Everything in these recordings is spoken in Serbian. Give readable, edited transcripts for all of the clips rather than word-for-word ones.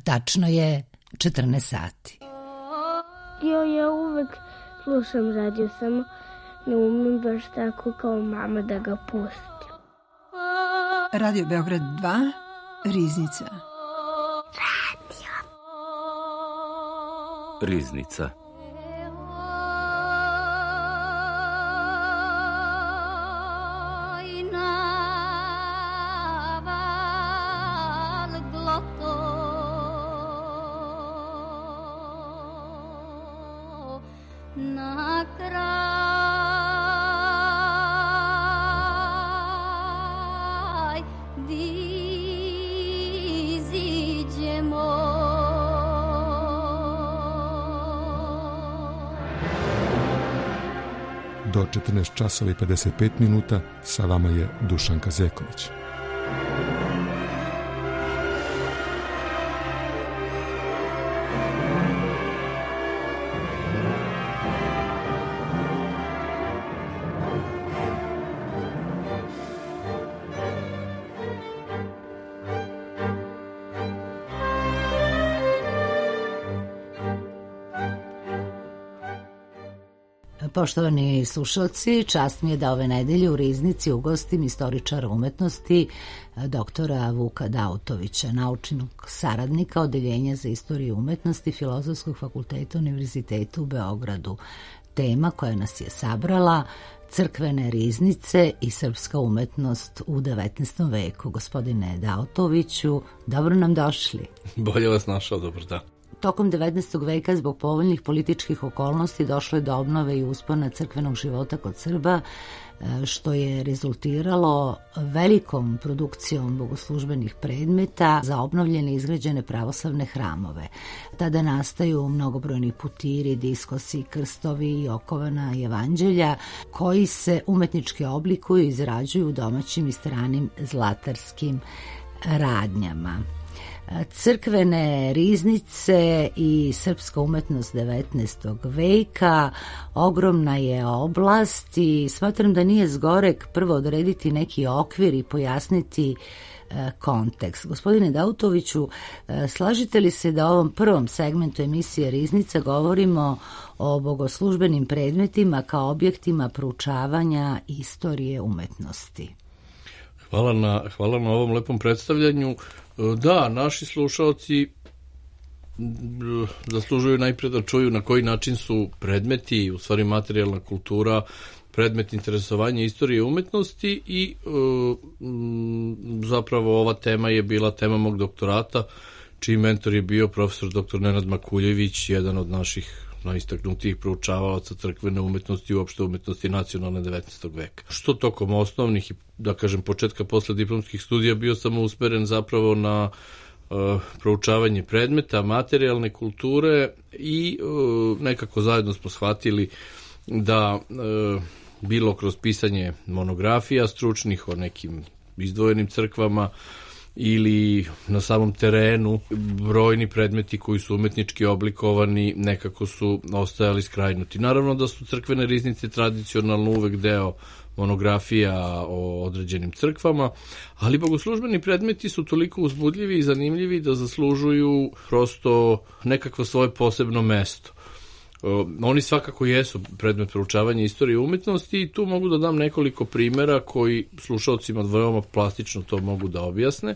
Tačno je 14 sati. Ja uvek slušam radio, samo ne umem baš tako kao mama da ga pustim. Radio Beograd 2, Riznica. Riznica. Do 14 časova i 55 minuta sa vama je Dušanka Zeković. Poštovani slušalci, čast mi je da ove nedelje u Riznici ugostim istoričara umetnosti doktora Vuka Dautovića, naučnog saradnika Odeljenja za istoriju umetnosti Filozofskog fakulteta Univerziteta u Beogradu. Tema koja nas je sabrala: crkvene riznice i srpska umetnost u 19. veku. Gospodine Dautoviću, dobro nam došli. Bolje vas našao, dobro da. Tokom 19. veka zbog povoljnih političkih okolnosti došlo je do obnove i uspona crkvenog života kod Srba, što je rezultiralo velikom produkcijom bogoslužbenih predmeta za obnovljene i izgrađene pravoslavne hramove. Tada nastaju mnogobrojni putiri, diskosi, krstovi i okovana evanđelja koji se umetnički oblikuju i izrađuju u domaćim i stranim zlatarskim radnjama. Crkvene riznice i srpska umetnost 19. veka ogromna je oblast i smatram da nije zgorek prvo odrediti neki okvir i pojasniti kontekst. Gospodine Dautoviću, slažete li se da u ovom prvom segmentu emisije Riznica govorimo o bogoslužbenim predmetima kao objektima proučavanja istorije umetnosti? Hvala na ovom lepom predstavljanju. Da, naši slušaoci zaslužuju najpre da čuju na koji način su predmeti, u stvari materijalna kultura, predmet interesovanja istorije umetnosti i zapravo ova tema je bila tema mog doktorata, čiji mentor je bio profesor dr. Nenad Makuljević, jedan od naših najistaknutijih proučavalaca crkvene umetnosti i uopšte umetnosti nacionalne 19. veka. Što tokom osnovnih i, da kažem, početka posle diplomskih studija bio sam usmeren zapravo na proučavanje predmeta, materijalne kulture i nekako zajedno smo shvatili da bilo kroz pisanje monografija stručnih o nekim izdvojenim crkvama ili na samom terenu brojni predmeti koji su umetnički oblikovani nekako su ostajali skrajnuti. Naravno da su crkvene riznice tradicionalno uvek deo monografija o određenim crkvama, ali bogoslužbeni predmeti su toliko uzbudljivi i zanimljivi da zaslužuju prosto nekakvo svoje posebno mesto. Oni svakako jesu predmet proučavanja istorije umetnosti i tu mogu da dam nekoliko primera koji slušalcima veoma plastično to mogu da objasne.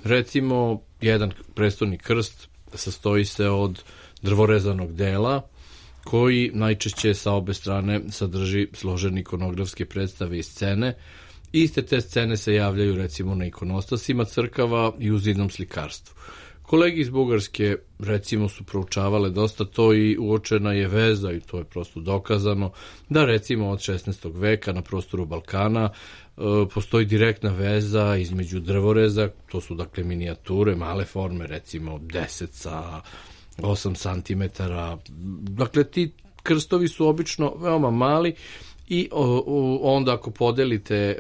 Recimo, jedan prestolni krst sastoji se od drvorezanog dela koji najčešće sa obe strane sadrži složene ikonografske predstave i scene. Iste te scene se javljaju recimo na ikonostasima crkava i u zidnom slikarstvu. Kolegi iz Bugarske recimo su proučavale dosta to i uočena je veza, i to je prosto dokazano, da recimo od 16. veka na prostoru Balkana postoji direktna veza između drvoreza, to su dakle minijature, male forme, recimo 10 sa 8 cm. Dakle, ti krstovi su obično veoma mali i onda ako podelite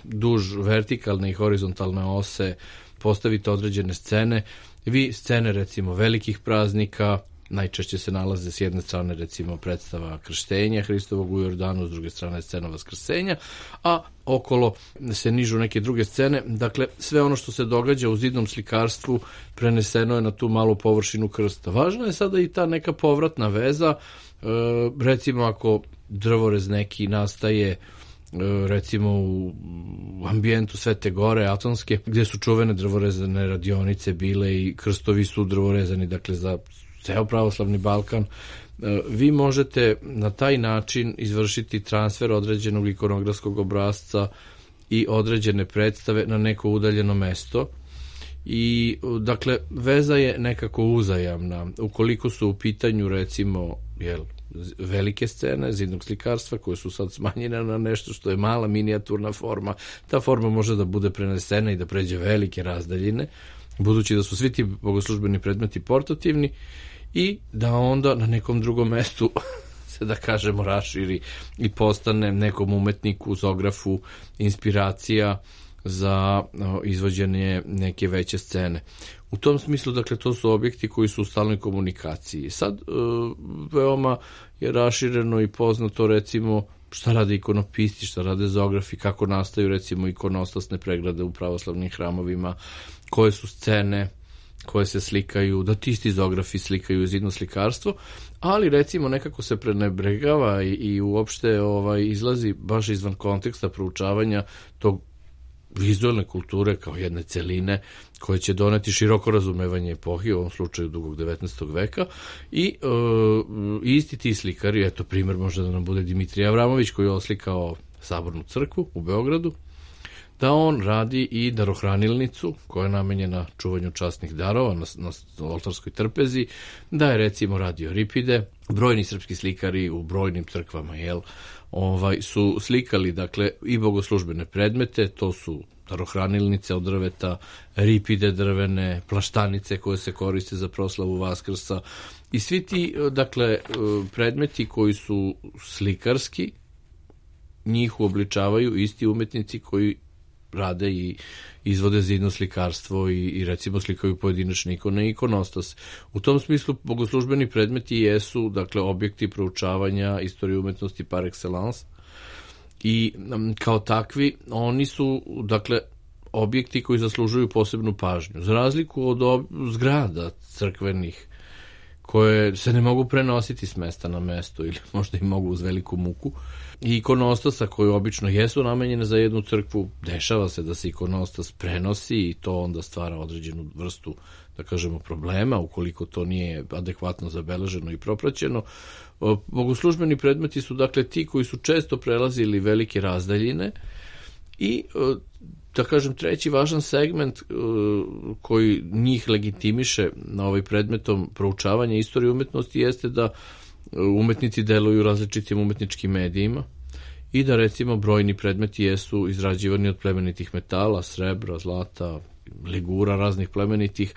duž vertikalne i horizontalne ose, postavite određene scene, vi scene recimo velikih praznika najčešće se nalaze s jedne strane recimo predstava krštenja Hristovog u Jordanu, s druge strane scena vaskrsenja, a okolo se nižu neke druge scene. Dakle, sve ono što se događa u zidnom slikarstvu preneseno je na tu malu površinu krsta. Važna je sada i ta neka povratna veza, recimo ako drvorez neki nastaje recimo u ambijentu Svete Gore Atonske, gdje su čuvene drvorezane radionice bile i krstovi su drvorezani, dakle za ceo pravoslavni Balkan, vi možete na taj način izvršiti transfer određenog ikonografskog obrasca i određene predstave na neko udaljeno mesto. I dakle veza je nekako uzajamna. Ukoliko su u pitanju recimo velike scene zidnog slikarstva koje su sad smanjene na nešto što je mala minijaturna forma, ta forma može da bude prenesena i da pređe velike razdaljine, budući da su svi ti bogoslužbeni predmeti portativni, i da onda na nekom drugom mestu se, da kažemo, raširi i postane nekom umetniku, zografu, inspiracija za izvođenje neke veće scene. U tom smislu, dakle, to su objekti koji su u stalnoj komunikaciji. Sad, veoma je rašireno i poznato, recimo, šta rade ikonopisti, šta rade zografi, kako nastaju, recimo, ikonostasne pregrade u pravoslavnim hramovima, koje su scene koje se slikaju, da ti isti zografi slikaju zidno slikarstvo, ali recimo nekako se prenebregava i uopšte izlazi baš izvan konteksta proučavanja tog vizualne kulture kao jedne celine koje će doneti široko razumevanje epohi, u ovom slučaju dugog 19. veka, i isti ti slikari, eto primjer može da nam bude Dimitrij Avramović koji je oslikao Sabornu crkvu u Beogradu, da on radi i darohranilnicu koja je namenjena čuvanju časnih darova na oltarskoj trpezi, da je recimo radio ripide. Brojni srpski slikari u brojnim crkvama su slikali, dakle, i bogoslužbene predmete, to su darohranilnice od drveta, ripide drvene, plaštanice koje se koriste za proslavu Vaskrsa, i svi ti, dakle, predmeti koji su slikarski, njih uobličavaju isti umetnici koji rade i izvode zidno slikarstvo i recimo slikaju pojedinačne ikone i ikonostas. U tom smislu bogoslužbeni predmeti jesu, dakle, objekti proučavanja istorije umetnosti par excellence, i kao takvi oni su, dakle, objekti koji zaslužuju posebnu pažnju. Za razliku od zgrada crkvenih koje se ne mogu prenositi s mesta na mesto ili možda i mogu uz veliku muku, i ikonostasa koji obično jesu namenjene za jednu crkvu, dešava se da se ikonostas prenosi i to onda stvara određenu vrstu, da kažemo, problema ukoliko to nije adekvatno zabeleženo i propraćeno. Bogoslužbeni predmeti su, dakle, ti koji su često prelazili velike razdaljine, i da kažem, treći važan segment koji njih legitimiše na ovaj predmetom proučavanja istorije umetnosti jeste da umetnici deluju različitim umetničkim medijima i da, recimo, brojni predmeti jesu izrađivani od plemenitih metala, srebra, zlata, ligura raznih plemenitih,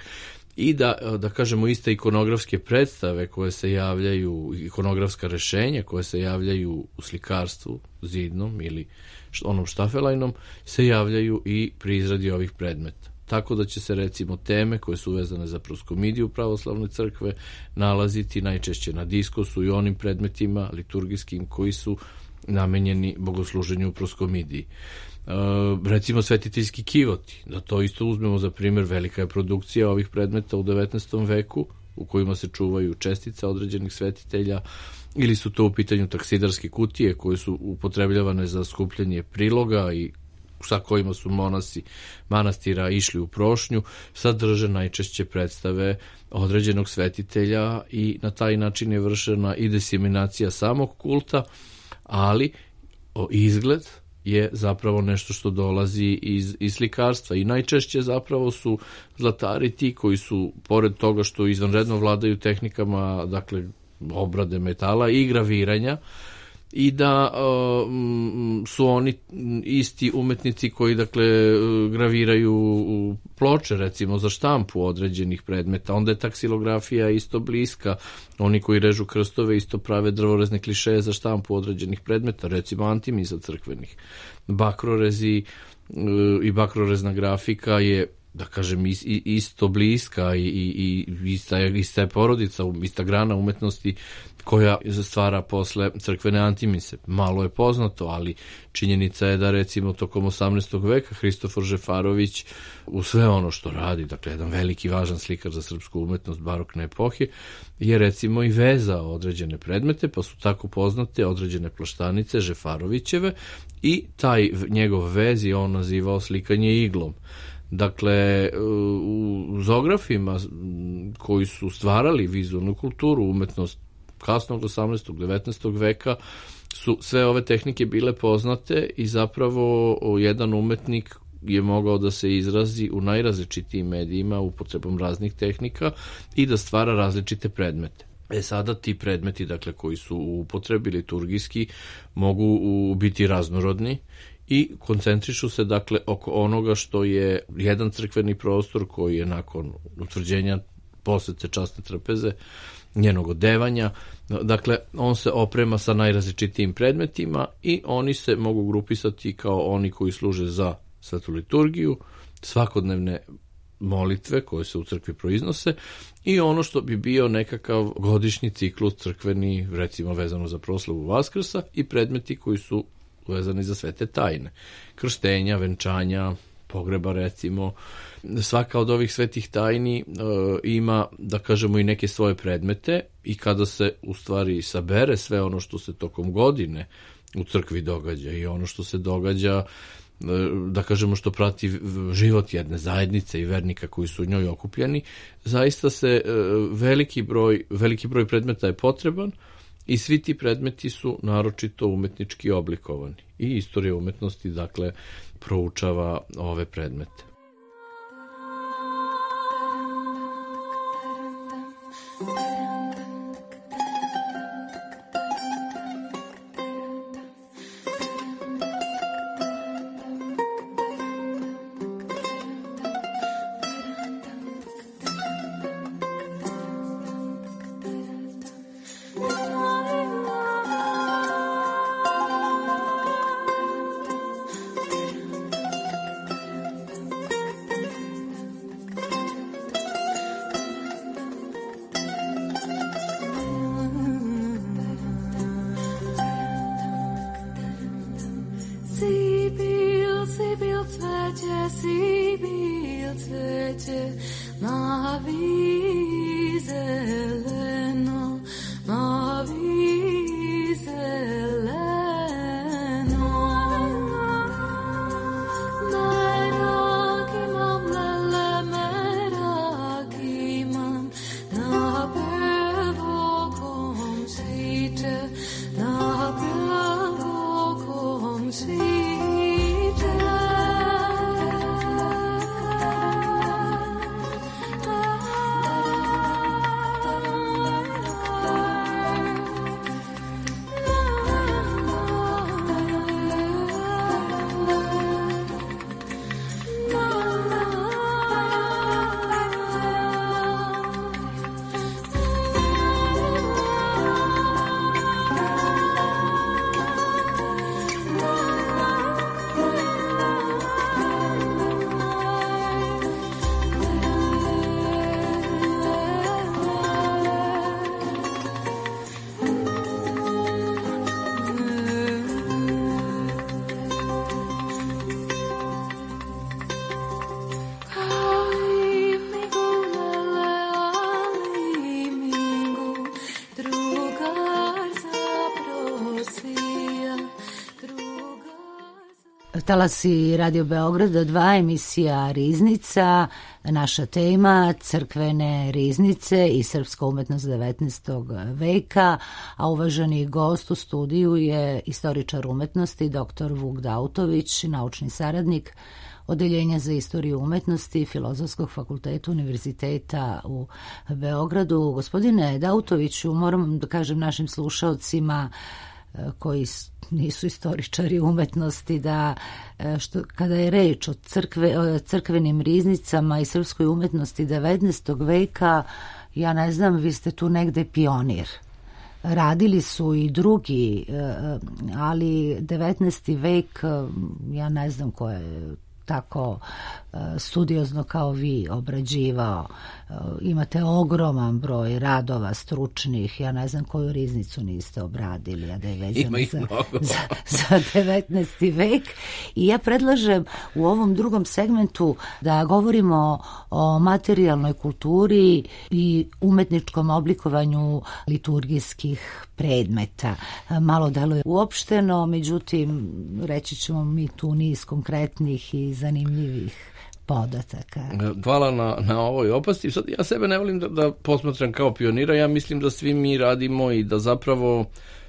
i da kažemo, iste ikonografske predstave koje se javljaju, ikonografska rešenja koje se javljaju u slikarstvu zidnom ili onom štafelajnom, se javljaju i pri izradi ovih predmeta. Tako da će se, recimo, teme koje su vezane za proskomidiju pravoslavne crkve nalaziti najčešće na diskosu i onim predmetima liturgijskim koji su namenjeni bogosluženju u proskomidiji. Recimo svetiteljski kivoti, da to isto uzmemo za primjer, velika je produkcija ovih predmeta u 19. veku u kojima se čuvaju čestice određenih svetitelja, ili su to u pitanju taksidarske kutije koje su upotrebljavane za skupljanje priloga i sa kojima su monasi manastira išli u prošnju, sadrže najčešće predstave određenog svetitelja i na taj način je vršena i diseminacija samog kulta, ali izgled je zapravo nešto što dolazi iz slikarstva, i najčešće zapravo su zlatari ti koji su, pored toga što izvanredno vladaju tehnikama, dakle, obrade metala i graviranja, i da su oni isti umetnici koji, dakle, graviraju ploče, recimo, za štampu određenih predmeta. Onda je taksilografija isto bliska. Oni koji režu krstove isto prave drvorezne klišeje za štampu određenih predmeta, recimo antimiza crkvenih. Bakrorezi i bakrorezna grafika je da kažem, isto bliska i ista je porodica, ista grana umetnosti koja stvara posle crkvene antimise. Malo je poznato, ali činjenica je da recimo tokom 18. veka Hristofor Žefarović u sve ono što radi, dakle jedan veliki važan slikar za srpsku umetnost barokne epohe, je recimo i vezao određene predmete, pa su tako poznate određene plaštanice Žefarovićeve i taj njegov vez je on nazivao slikanje iglom. Dakle, u zografima koji su stvarali vizualnu kulturu, umetnost kasnog 18. 19. veka su sve ove tehnike bile poznate i zapravo jedan umetnik je mogao da se izrazi u najrazličitijim medijima upotrebom raznih tehnika i da stvara različite predmete. Sada ti predmeti, dakle, koji su u upotrebi liturgijski, mogu biti raznorodni i koncentrišu se, dakle, oko onoga što je jedan crkveni prostor koji je nakon utvrđenja posete časne trpeze, njenog odevanja, dakle, on se oprema sa najrazličitijim predmetima i oni se mogu grupisati kao oni koji služe za svetu liturgiju, svakodnevne molitve koje se u crkvi proiznose i ono što bi bio nekakav godišnji ciklus crkveni, recimo vezano za proslavu Vaskrsa, i predmeti koji su vezani za svete tajne, krštenja, venčanja, pogreba recimo. Svaka od ovih svetih tajni ima, da kažemo, i neke svoje predmete i kada se u stvari sabere sve ono što se tokom godine u crkvi događa i ono što se događa, da kažemo, što prati život jedne zajednice i vernika koji su u njoj okupljeni, zaista se veliki broj predmeta je potreban i svi ti predmeti su naročito umetnički oblikovani i istorija umetnosti, dakle, proučava ove predmete. Talasi Radio Beograda 2, emisija Riznica, naša tema crkvene riznice i srpska umetnost 19. veka, a uvaženi gost u studiju je istoričar umetnosti dr. Vuk Dautović, naučni saradnik Odeljenja za istoriju umetnosti Filozofskog fakulteta Univerziteta u Beogradu. Gospodine Dautoviću, moram da kažem našim slušaocima koji nisu istoričari umetnosti da kada je reč o crkvenim riznicama i srpskoj umetnosti 19. veka, ja ne znam, vi ste tu negde pionir. Radili su i drugi, ali 19. vek, ja ne znam ko je tako studiozno kao vi obrađivao. Imate ogroman broj radova stručnih, ja ne znam koju riznicu niste obradili, a da je vezana za 19. vek. I ja predlažem u ovom drugom segmentu da govorimo o materijalnoj kulturi i umetničkom oblikovanju liturgijskih predmeta. Malo deluje uopšteno, međutim, reći ćemo mi tu niz konkretnih i zanimljivih podataka. Hvala na ovoj opasti. Sad, ja sebe ne volim da posmatram kao pionira, ja mislim da svi mi radimo i da zapravo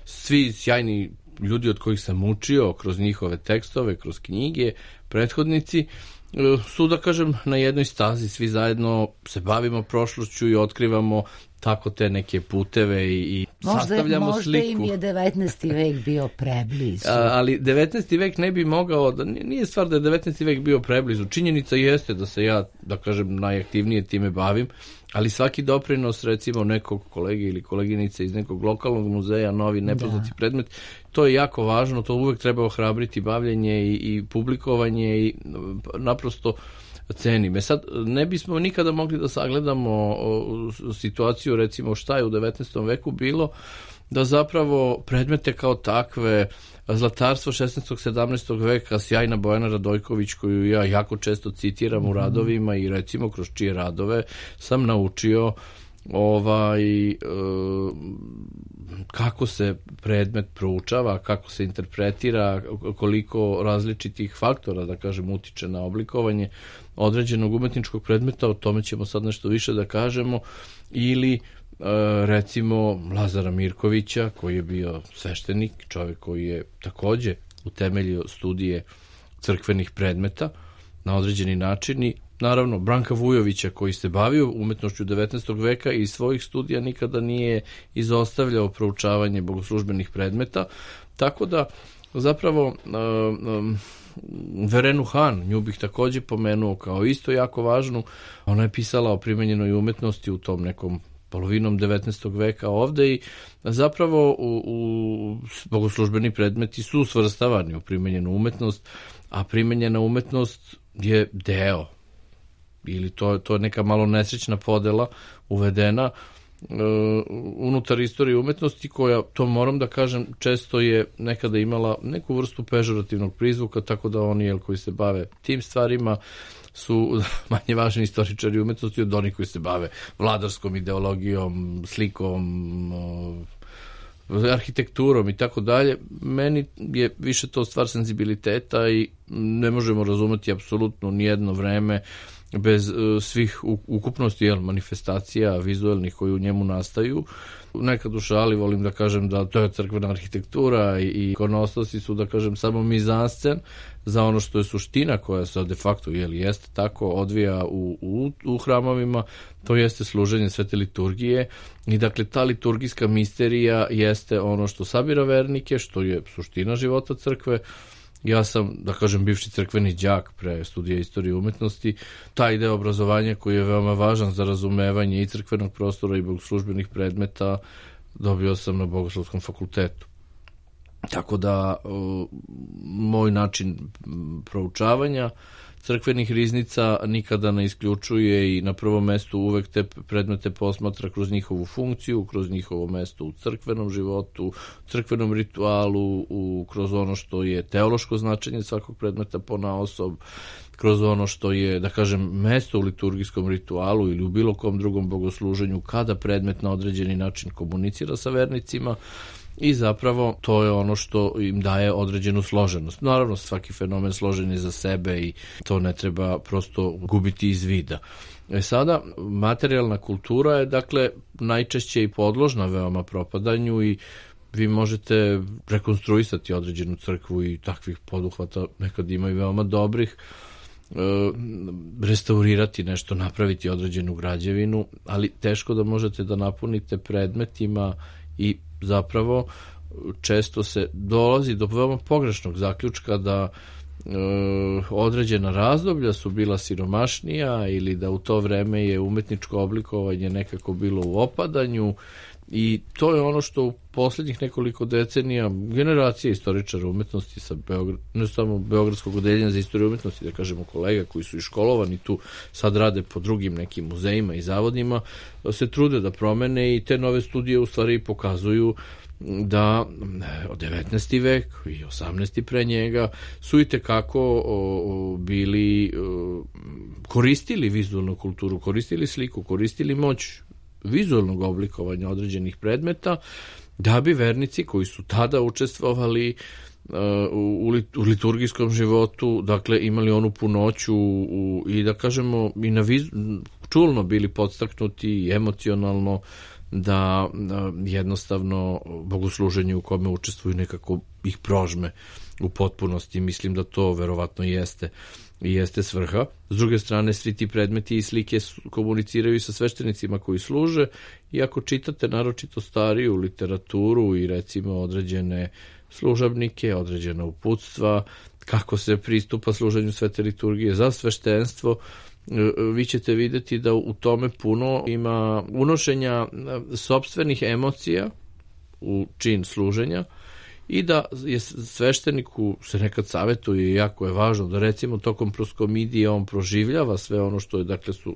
svi sjajni ljudi od kojih sam učio kroz njihove tekstove, kroz knjige, prethodnici, su, da kažem, na jednoj stazi, svi zajedno se bavimo prošlošću i otkrivamo tako te neke puteve i sastavljamo sliku. Možda im je 19. vek bio preblizu. Ali 19. vek ne bi mogao, nije stvar da je 19. vek bio preblizu. Činjenica jeste da se ja, da kažem, najaktivnije time bavim, ali svaki doprinos, recimo, nekog kolege ili koleginice iz nekog lokalnog muzeja, novi nepoznati predmet, to je jako važno, to uvek treba ohrabriti bavljenje i publikovanje i naprosto cenim. Sad, ne bismo nikada mogli da sagledamo situaciju, recimo, šta je u 19. veku bilo, da zapravo predmete kao takve, zlatarstvo 16. 17. veka, sjajna Bojana Radojković, koju ja jako često citiram u radovima i recimo kroz čije radove sam naučio kako se predmet proučava, kako se interpretira, koliko različitih faktora, da kažem, utiče na oblikovanje određenog umetničkog predmeta, o tome ćemo sad nešto više da kažemo, ili recimo Lazara Mirkovića, koji je bio sveštenik, čovjek koji je takođe utemeljio studije crkvenih predmeta na određeni način, i naravno Branka Vujovića, koji se bavio umetnošću 19. veka i iz svojih studija nikada nije izostavljao proučavanje bogoslužbenih predmeta, tako da zapravo Verenu Han, nju bih takođe pomenuo kao isto jako važnu. Ona je pisala o primenjenoj umetnosti u tom nekom polovinom 19. veka ovde i zapravo u bogoslužbeni predmeti su svrstavani u primenjenu umetnost, a primenjena umetnost je deo, ili to je neka malo nesrećna podela uvedena unutar istorije umetnosti, koja, to moram da kažem, često je nekada imala neku vrstu pežorativnog prizvuka, tako da oni koji se bave tim stvarima su manje važni istoričari umetnosti od onih koji se bave vladarskom ideologijom, slikom, arhitekturom i tako dalje. Meni je više to stvar senzibiliteta i ne možemo razumeti apsolutno nijedno vreme bez svih ukupnosti manifestacija vizualnih koji u njemu nastaju. Nekad u šali volim da kažem da to je crkvena arhitektura i ikonostosi su, da kažem, samo mizanscen za ono što je suština, koja se de facto jeste tako odvija u hramovima, to jeste služenje svete liturgije i dakle ta liturgijska misterija jeste ono što sabira vernike, što je suština života crkve. Ja sam, da kažem, bivši crkveni đak pre studija istorije umetnosti. Taj deo obrazovanja koji je veoma važan za razumevanje i crkvenog prostora i bogoslužbenih predmeta dobio sam na Bogoslovskom fakultetu. Tako da moj način proučavanja crkvenih riznica nikada ne isključuje i na prvom mestu uvek te predmete posmatra kroz njihovu funkciju, kroz njihovo mesto u crkvenom životu, crkvenom ritualu, kroz ono što je teološko značenje svakog predmeta ponaosob, kroz ono što je, da kažem, mesto u liturgijskom ritualu ili u bilo kom drugom bogosluženju kada predmet na određeni način komunicira sa vernicima. I zapravo to je ono što im daje određenu složenost. Naravno, svaki fenomen složen je za sebe i to ne treba prosto gubiti iz vida. Sada, materijalna kultura je, dakle, najčešće i podložna veoma propadanju i vi možete rekonstruisati određenu crkvu i takvih poduhvata nekad ima i veoma dobrih, restaurirati nešto, napraviti određenu građevinu, ali teško da možete da napunite predmetima i zapravo često se dolazi do veoma pogrešnog zaključka da određena razdoblja su bila siromašnija ili da u to vreme je umetničko oblikovanje nekako bilo u opadanju I to je ono što u posljednjih nekoliko decenija generacije istoričara umetnosti sa ne samo Beogradskog odeljenja za istoriju umetnosti, da kažemo kolega koji su i školovani tu, sad rade po drugim nekim muzejima i zavodima, se trude da promene i te nove studije u stvari pokazuju da 19. vek i 18. pre njega su i tekako bili koristili vizualnu kulturu, koristili sliku, koristili moć vizualnog oblikovanja određenih predmeta, da bi vernici koji su tada učestvovali u liturgijskom životu, dakle imali onu punoću i da kažemo i čulno bili podstaknuti i emocionalno da jednostavno bogosluženje u kome učestvuju nekako ih prožme u potpunosti. Mislim da to verovatno jeste svrha. S druge strane, svi ti predmeti i slike komuniciraju i sa sveštenicima koji služe, i ako čitate naročito stariju literaturu i recimo određene služabnike, određena uputstva, kako se pristupa služenju svete liturgije za sveštenstvo, vi ćete vidjeti da u tome puno ima unošenja sopstvenih emocija u čin služenja i da je svešteniku se nekad savjetuje, jako je važno da recimo tokom proskomidije on proživljava sve ono što je, dakle su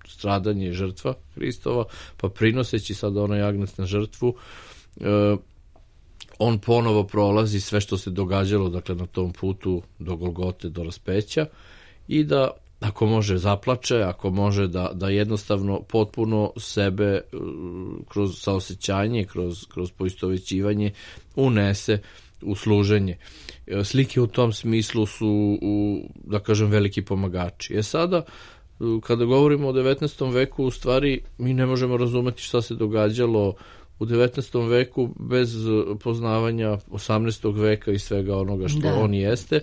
stradanje i žrtva Hristova, pa prinoseći sada onaj agnac na žrtvu, on ponovo prolazi sve što se događalo, dakle na tom putu do Golgote, do raspeća, i da ako može zaplače, ako može da jednostavno potpuno sebe kroz saosećanje, kroz poistovećivanje unese u služenje. Slike u tom smislu su, da kažem, veliki pomagači. Sada, kada govorimo o 19. veku, u stvari mi ne možemo razumeti šta se događalo u 19. veku bez poznavanja 18. veka i svega onoga što on jeste.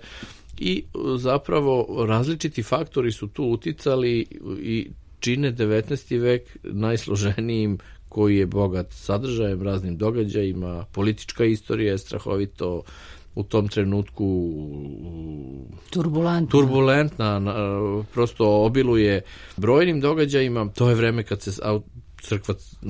I zapravo različiti faktori su tu uticali i čine 19. vek najsloženijim, koji je bogat sadržajem, raznim događajima. Politička istorija je strahovito u tom trenutku turbulentna, prosto obiluje brojnim događajima. To je vreme kad se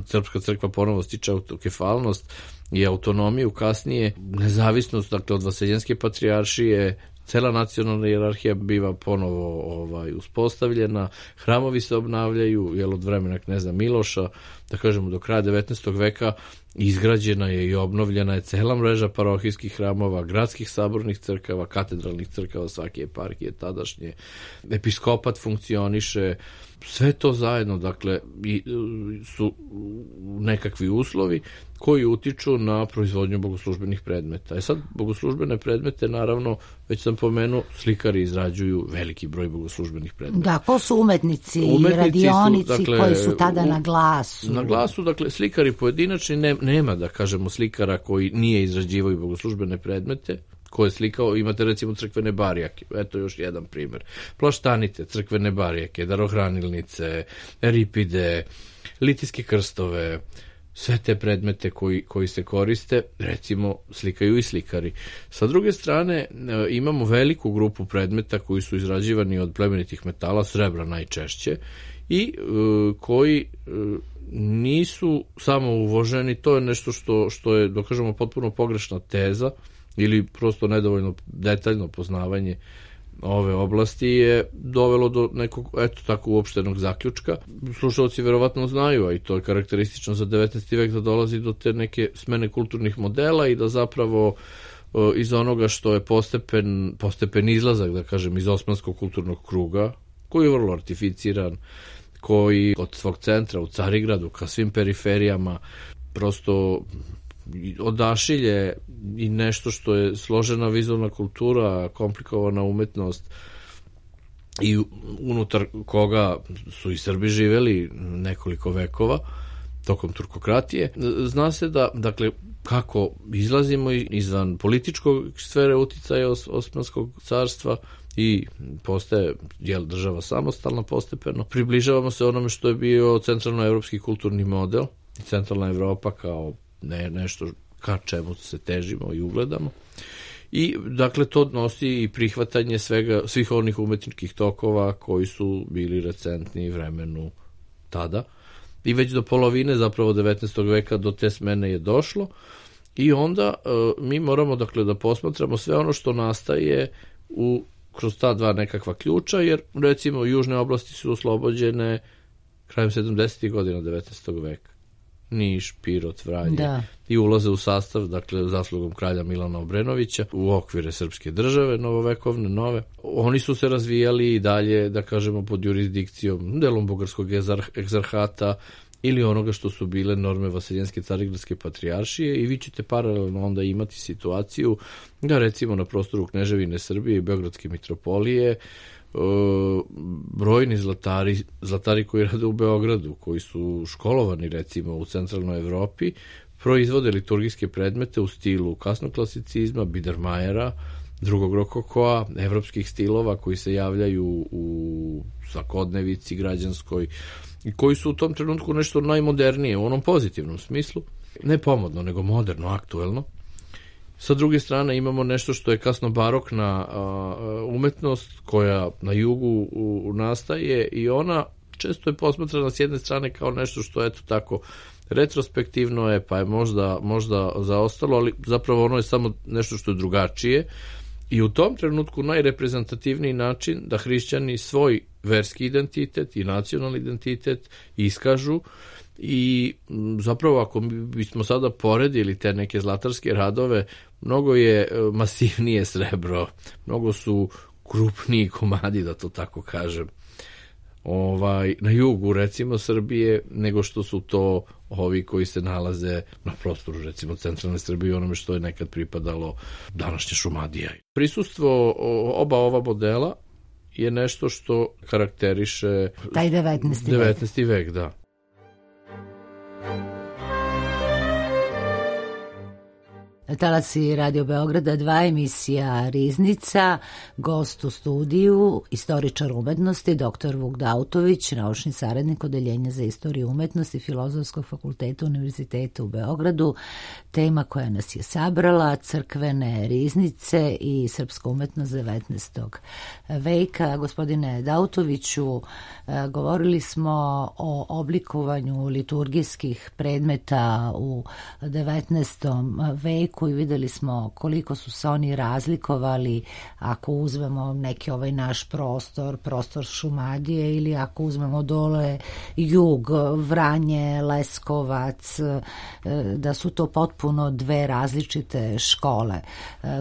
Srpska crkva ponovo stiče autokefalnost i autonomiju, kasnije nezavisnost, dakle od Vaseljenske patrijaršije, cela nacionalna hijerarhija biva ponovo uspostavljena, hramovi se obnavljaju, od vremena kneza Miloša, da kažemo do kraja 19. veka izgrađena je i obnovljena je cela mreža parohijskih hramova, gradskih sabornih crkava, katedralnih crkava svake eparhije tadašnje, episkopat funkcioniše, sve to zajedno, dakle, su nekakvi uslovi koji utiču na proizvodnju bogoslužbenih predmeta. Sad, bogoslužbene predmete, naravno, već sam pomenuo, slikari izrađuju veliki broj bogoslužbenih predmeta. Da, ko su umetnici i radionici, dakle, koji su tada na glasu? Na glasu, dakle, slikari pojedinačni, nema, da kažemo, slikara koji nije izrađivao bogoslužbene predmete, ko je slikao, imate recimo crkvene barijake, eto još jedan primjer, plaštanice, crkvene barijake, darohranilnice, eripide, litijske krstove, sve te predmete koji se koriste, recimo, slikaju i slikari. Sa druge strane, imamo veliku grupu predmeta koji su izrađivani od plemenitih metala, srebra najčešće, i koji nisu samo uvoženi, to je nešto što je, da kažemo, potpuno pogrešna teza, ili prosto nedovoljno detaljno poznavanje ove oblasti je dovelo do nekog, tako uopštenog zaključka. Slušalci verovatno znaju, a i to je karakteristično za 19. vek, da dolazi do te neke smene kulturnih modela i da zapravo iz onoga što je postepen izlazak, da kažem, iz osmanskog kulturnog kruga, koji je vrlo artificiran, koji od svog centra u Carigradu ka svim periferijama prosto odašilje i nešto što je složena vizualna kultura, komplikovana umetnost i unutar koga su i Srbi živeli nekoliko vekova tokom turkokratije. Zna se da, dakle, kako izlazimo izvan političkog sfere uticaja Osmanskog carstva i postaje država samostalna postepeno. Približavamo se onome što je bio centralnoevropski kulturni model i centralna Evropa kao nešto ka čemu se težimo i ugledamo. I dakle to nosi i prihvatanje svih onih umetničkih tokova koji su bili recentni vremenu tada. i već do polovine zapravo 19. veka do te smene je došlo i onda mi moramo dakle da posmatramo sve ono što nastaje kroz ta dva nekakva ključa, jer recimo južne oblasti su oslobođene krajem 70. godina 19. veka. Niš, Pirot, Vranje i ulaze u sastav, dakle, zaslugom kralja Milana Obrenovića u okvire srpske države, novovekovne, nove. Oni su se razvijali i dalje, da kažemo, pod jurisdikcijom delom bugarskog egzarhata ili onoga što su bile norme Vaseljenske carigradske patrijaršije i vi ćete paralelno onda imati situaciju da recimo na prostoru Kneževine Srbije i Beogradske mitropolije brojni zlatari koji rade u Beogradu, koji su školovani recimo u centralnoj Evropi, proizvode liturgijske predmete u stilu kasnog klasicizma, Biedermajera, drugog rokokoa, evropskih stilova koji se javljaju u svakodnevici građanskoj i koji su u tom trenutku nešto najmodernije u onom pozitivnom smislu, ne pomodno, nego moderno, aktuelno. Sa druge strane imamo nešto što je kasno barokna umetnost koja na jugu nastaje i ona često je posmatrana s jedne strane kao nešto što eto tako retrospektivno je, pa je možda zaostalo, ali zapravo ono je samo nešto što je drugačije i u tom trenutku najreprezentativniji način da hrišćani svoj verski identitet i nacionalni identitet iskažu i zapravo ako bismo sada poredili te neke zlatarske radove, mnogo je masivnije srebro, mnogo su krupniji komadi, da to tako kažem, na jugu recimo Srbije, nego što su to ovi koji se nalaze na prostoru recimo centralne Srbije, onome što je nekad pripadalo današnje Šumadija. Prisustvo oba ova modela je nešto što karakteriše taj 19. vek, da. Talasi Radio Beograda 2, emisija Riznica, gost u studiju, istoričar umetnosti, dr. Vuk Dautović, naučni saradnik Odeljenja za istoriju umetnosti Filozofskog fakulteta Univerziteta u Beogradu. Tema koja nas je sabrala, crkvene riznice i srpska umetnost 19. veka. Gospodine Dautoviću, govorili smo o oblikovanju liturgijskih predmeta u 19. veku i videli smo koliko su se oni razlikovali ako uzmemo neki ovaj naš prostor Šumadije ili ako uzmemo dole jug, Vranje, Leskovac, da su to potpuno dve različite škole.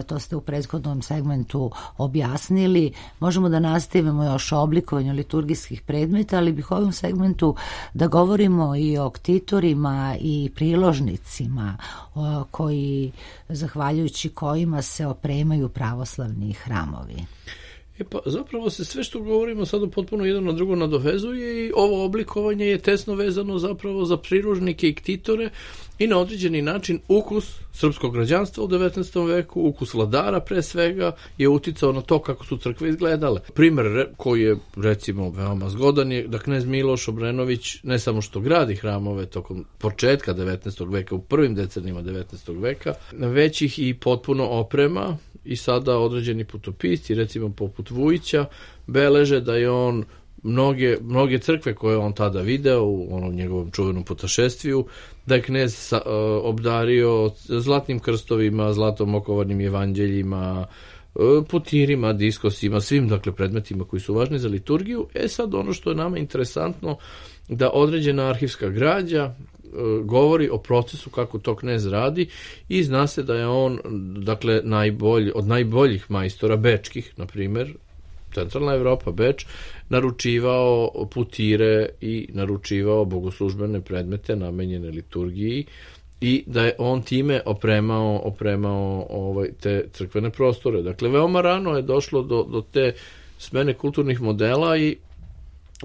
To ste u prethodnom segmentu objasnili. Možemo da nastavimo još o oblikovanju liturgijskih predmeta, ali bih u ovom segmentu da govorimo i o ktitorima i priložnicima zahvaljujući kojima se opremaju pravoslavni hramovi. Pa zapravo se sve što govorimo sada potpuno jedno na drugo nadovezuje i ovo oblikovanje je tesno vezano zapravo za priložnike i ktitore i na određeni način ukus srpskog građanstva u 19. veku, ukus vladara pre svega je uticao na to kako su crkve izgledale. Primer koji je recimo veoma zgodan je da knez Miloš Obrenović ne samo što gradi hramove tokom početka 19. veka, u prvim decenijima 19. veka, već ih i potpuno oprema i sada određeni putopisci, recimo poput Vujića, beleže da je on mnoge crkve koje on tada video u onom njegovom čuvenom putašestviju, da je knez obdario zlatnim krstovima, zlatom okovanim evanđeljima, putirima, diskosima, svim dakle predmetima koji su važni za liturgiju. Sad ono što je nama interesantno da određena arhivska građa govori o procesu kako to knez radi i zna se da je on dakle od najboljih majstora bečkih, na primjer centralna Evropa, Beč, naručivao putire i naručivao bogoslužbene predmete namenjene liturgiji i da je on time opremao te crkvene prostore. Dakle, veoma rano je došlo do te smene kulturnih modela i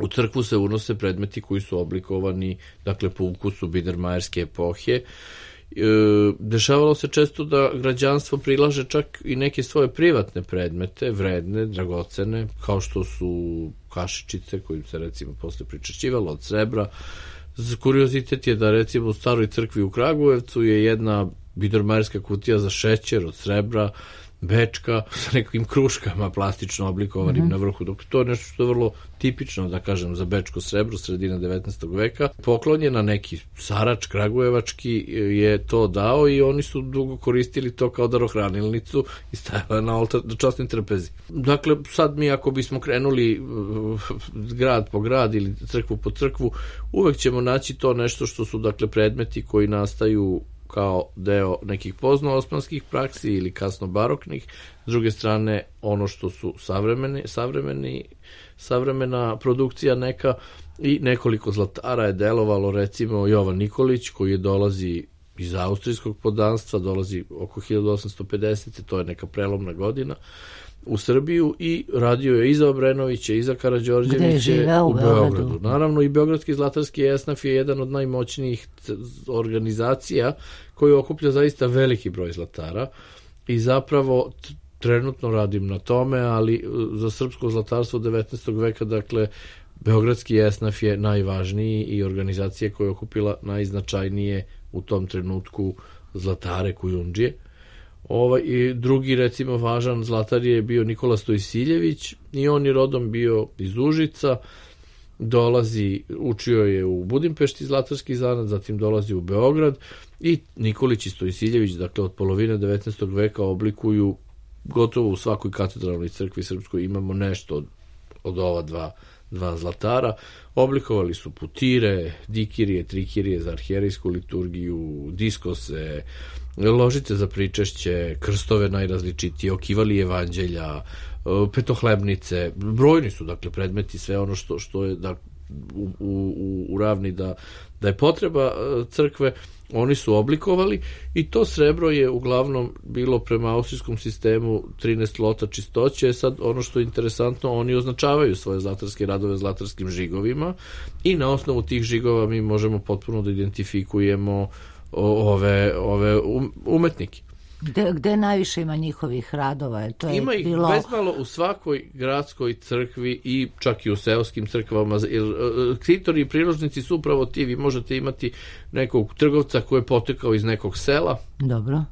u crkvu se unose predmeti koji su oblikovani, dakle, po ukusu biedermajerske epohe. Dešavalo se često da građanstvo prilaže čak i neke svoje privatne predmete, vredne, dragocene, kao što su kašičice kojim se recimo posle pričešćivalo od srebra. Kuriozitet je da recimo u staroj crkvi u Kragujevcu je jedna biedermajerska kutija za šećer od srebra bečka sa nekim kruškama plastično oblikovanim na vrhu. Dok to je nešto što je vrlo tipično, da kažem, za bečko srebro sredine 19. veka. Poklonjena neki Sarač kragujevački je to dao i oni su dugo koristili to kao darohranilnicu i stavila na oltar na časnoj trpezi. Dakle, sad mi ako bismo krenuli grad po grad ili crkvu po crkvu, uvek ćemo naći to nešto što su dakle predmeti koji nastaju kao deo nekih pozno-osmanskih praksi ili kasno baroknih. S druge strane, ono što su savremena produkcija neka i nekoliko zlatara je delovalo, recimo Jovan Nikolić koji dolazi iz austrijskog poddanstva, dolazi oko 1850. To je neka prelomna godina u Srbiju i radio je i za Obrenovića i za Karađorđeviće u Beogradu. Naravno i Beogradski zlatarski esnaf je jedan od najmoćnijih organizacija koji okuplja zaista veliki broj zlatara i zapravo trenutno radim na tome, ali za srpsko zlatarstvo 19. veka, dakle, Beogradski esnaf je najvažniji i organizacija koja je okupila najznačajnije u tom trenutku zlatare kujundžije. I drugi, recimo, važan zlatar je bio Nikola Stojsiljević i on je rodom bio iz Užica, učio je u Budimpešti zlatarski zanat, zatim dolazi u Beograd i Nikolić i Stojsiljević, dakle, od polovine 19. veka oblikuju gotovo u svakoj katedralnoj crkvi srpskoj imamo nešto od ova dva zlatara. Oblikovali su putire, dikirije, trikirije za arhijerejsku liturgiju, diskose, ložice za pričešće, krstove najrazličitije, okivali evanđelja, petohlebnice, brojni su dakle predmeti, sve ono što je u ravni da je potreba crkve, oni su oblikovali i to srebro je uglavnom bilo prema austrijskom sistemu 13 lota čistoće. Sad ono što je interesantno, oni označavaju svoje zlatarske radove zlatarskim žigovima i na osnovu tih žigova mi možemo potpuno da identifikujemo ove umetnike. Gde najviše ima njihovih radova? Ima ih bezmalo u svakoj gradskoj crkvi i čak i u seoskim crkvama. Ktitori i priložnici su upravo ti. Vi možete imati nekog trgovca koji je potekao iz nekog sela. Dobro.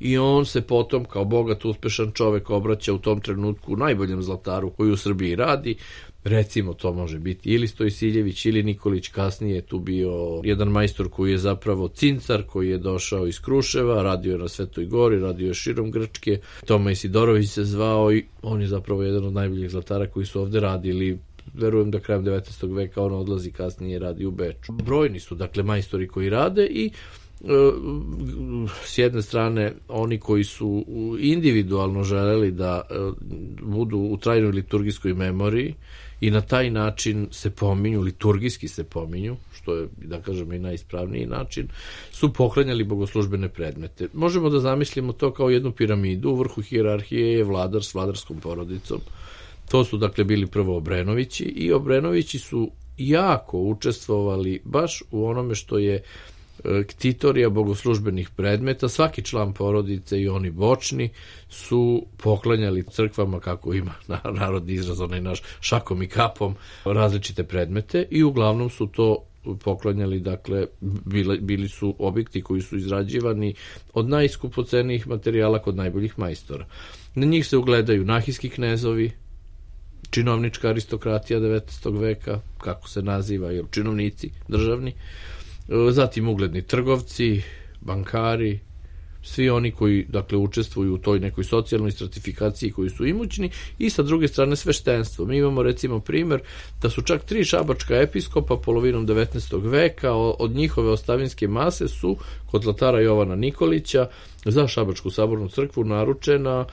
I on se potom kao bogat, uspešan čovek obraća u tom trenutku najboljem zlataru koji u Srbiji radi. Recimo to može biti ili Stojsiljević ili Nikolić, kasnije je tu bio jedan majstor koji je zapravo cincar, koji je došao iz Kruševa, radio je na Svetoj Gori, radio je širom Grčke, Toma Isidorović se zvao i on je zapravo jedan od najboljih zlatara koji su ovde radili. Verujem da krajem 19. veka on odlazi, kasnije radi u Beču. Brojni su dakle majstori koji rade i s jedne strane oni koji su individualno želeli da budu u trajnoj liturgijskoj memoriji i na taj način se pominju, liturgijski se pominju, što je, da kažem, i najispravniji način, su poklanjali bogoslužbene predmete. Možemo da zamislimo to kao jednu piramidu, u vrhu hijerarhije je vladar s vladarskom porodicom. To su dakle bili prvo Obrenovići i Obrenovići su jako učestvovali baš u onome što je ktitorija bogoslužbenih predmeta. Svaki član porodice i oni bočni su poklanjali crkvama, kako ima narodni izraz, onaj naš, šakom i kapom, različite predmete i uglavnom su to poklanjali, dakle, bili su objekti koji su izrađivani od najskupocenijih materijala kod najboljih majstora. Na njih se ugledaju nahijski knezovi, činovnička aristokratija 19. veka, kako se naziva, jer činovnici državni, zatim ugledni trgovci, bankari, svi oni koji dakle učestvuju u toj nekoj socijalnoj stratifikaciji koji su imućni, i sa druge strane sveštenstvo. Mi imamo recimo primjer da su čak 3 šabačka episkopa polovinom 19. veka od njihove ostavinske mase su kod zlatara Jovana Nikolića za Šabačku sabornu crkvu naručena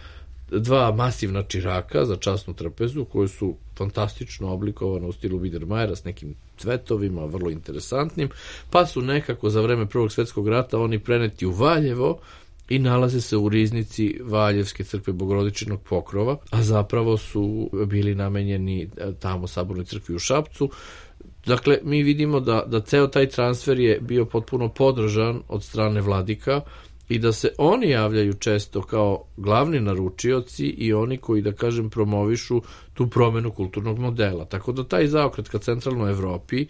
2 masivna čiraka za časnu trpezu koje su fantastično oblikovane u stilu Biedermajera s nekim cvetovima, vrlo interesantnim, pa su nekako za vreme Prvog svjetskog rata oni preneti u Valjevo i nalaze se u riznici Valjevske crkve Bogorodičinog pokrova, a zapravo su bili namenjeni tamo sabornoj crkvi u Šapcu. Dakle, mi vidimo da ceo taj transfer je bio potpuno podržan od strane vladika i da se oni javljaju često kao glavni naručioci i oni koji, da kažem, promovišu tu promenu kulturnog modela. Tako da taj zaokret ka centralnoj Evropi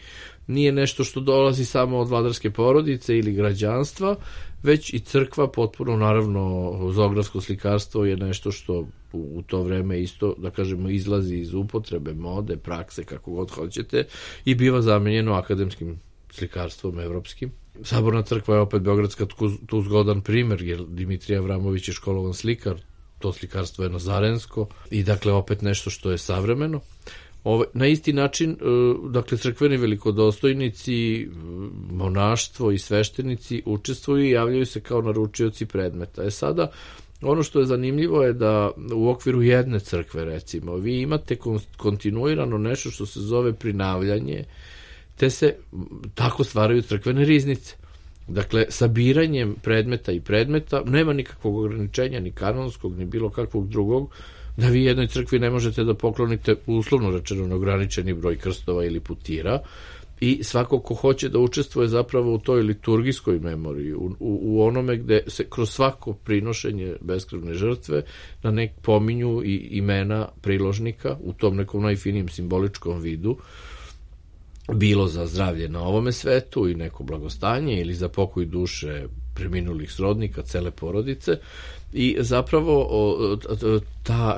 nije nešto što dolazi samo od vladarske porodice ili građanstva, već i crkva potpuno, naravno, zoografsko slikarstvo je nešto što u to vreme isto, da kažemo, izlazi iz upotrebe, mode, prakse, kako god hoćete, i biva zamenjeno akademskim slikarstvom evropskim. Saborna crkva je opet beogradska tu zgodan primer, jer Dimitrij Avramović je školovan slikar, to slikarstvo je nazarensko i dakle opet nešto što je savremeno. Na isti način, dakle, crkveni velikodostojnici, monaštvo i sveštenici učestvuju i javljaju se kao naručioci predmeta. Sada, ono što je zanimljivo je da u okviru jedne crkve, recimo, vi imate kontinuirano nešto što se zove prinavljanje, te se tako stvaraju crkvene riznice. Dakle, sabiranjem predmeta i predmeta nema nikakvog ograničenja, ni kanonskog, ni bilo kakvog drugog, da vi jednoj crkvi ne možete da poklonite, uslovno rečeno, neograničeni broj krstova ili putira, i svako ko hoće da učestvuje zapravo u toj liturgijskoj memoriji, u onome gde se kroz svako prinošenje beskrvne žrtve na nek pominju i imena priložnika u tom nekom najfinijem simboličkom vidu, bilo za zdravlje na ovome svetu i neko blagostanje ili za pokoj duše preminulih srodnika, cele porodice. I zapravo